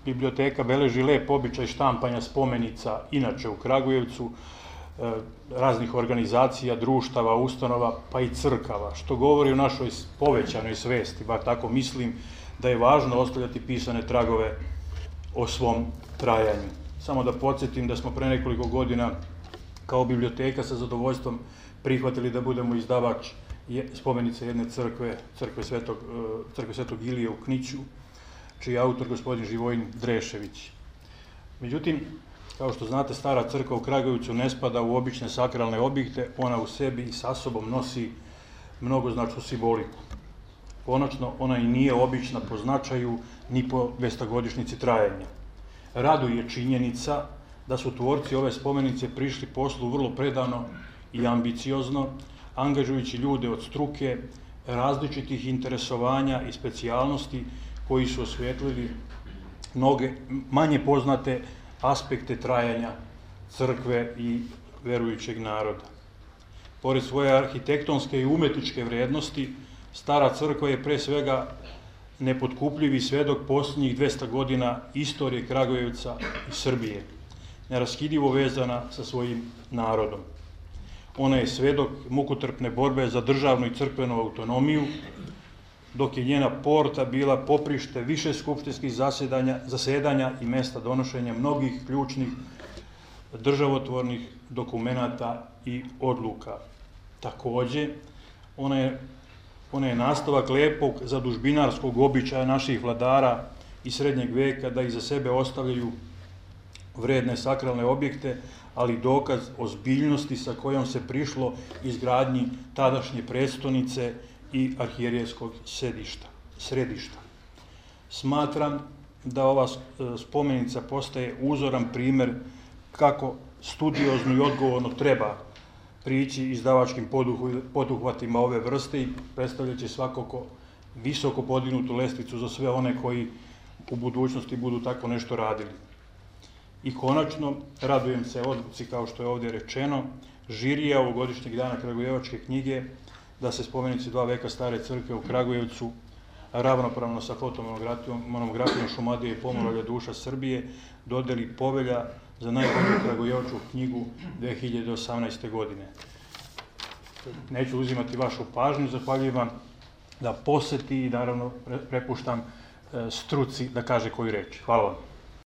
biblioteka beleži lep običaj štampanja spomenica inače u Kragujevcu, raznih organizacija, društava, ustanova, pa i crkava, što govori o našoj povećanoj svesti, bar tako mislim, da je važno ostavljati pisane tragove o svom trajanju. Samo da podsjetim da smo pre nekoliko godina kao biblioteka sa zadovoljstvom prihvatili da budemo izdavač spomenice jedne crkve, crkve Svetog Ilije u Kniću, čiji je autor gospodin Živojin Drešević. Međutim, kao što znate, stara crkva u Kragujevcu ne spada u obične sakralne objekte, ona u sebi i sa sobom nosi mnogoznačnu simboliku. Konačno, ona i nije obična po značaju ni po 200-godišnjici trajanja. Raduje činjenica da su tvorci ove spomenice prišli poslu vrlo predano i ambiciozno, angažujući ljude od struke, različitih interesovanja i specijalnosti koji su osvetlili mnoge manje poznate aspekte trajanja crkve i verujućeg naroda. Pored svoje arhitektonske i umetničke vrednosti, stara crkva je pre svega nepotkupljivi svedok posljednjih 200 godina istorije Kragujevca i Srbije, neraskidivo vezana sa svojim narodom. Ona je svedok mukotrpne borbe za državnu i crkvenu autonomiju, dok je njena porta bila poprište više skupštinskih zasedanja i mesta donošenja mnogih ključnih državotvornih dokumenata i odluka. Takođe, ona je nastavak lepog zadužbinarskog običaja naših vladara iz srednjeg veka da iza sebe ostavljaju vredne sakralne objekte, ali dokaz ozbiljnosti sa kojom se prišlo izgradnji tadašnje prestonice i arhijerejskog središta. Smatram da ova spomenica postaje uzoran primer kako studiozno i odgovorno treba prići izdavačkim poduhvatima ove vrste i predstavljaće svakako visoko podignutu lestvicu za sve one koji u budućnosti budu tako nešto radili. I konačno, radujem se odluci, kao što je ovdje rečeno, žirija ovogodišnjeg dana Kragujevačke knjige, da se spomenici 2 veka stare crkve u Kragujevcu ravnopravno sa fotomonografijom Šumadije i Pomoravlja duša Srbije dodeli povelja za najbolju Kragujevačku knjigu 2018. godine. Neću uzimati vašu pažnju, zahvaljujem vam da poseti i naravno prepuštam struci da kaže koju reč. Hvala vam.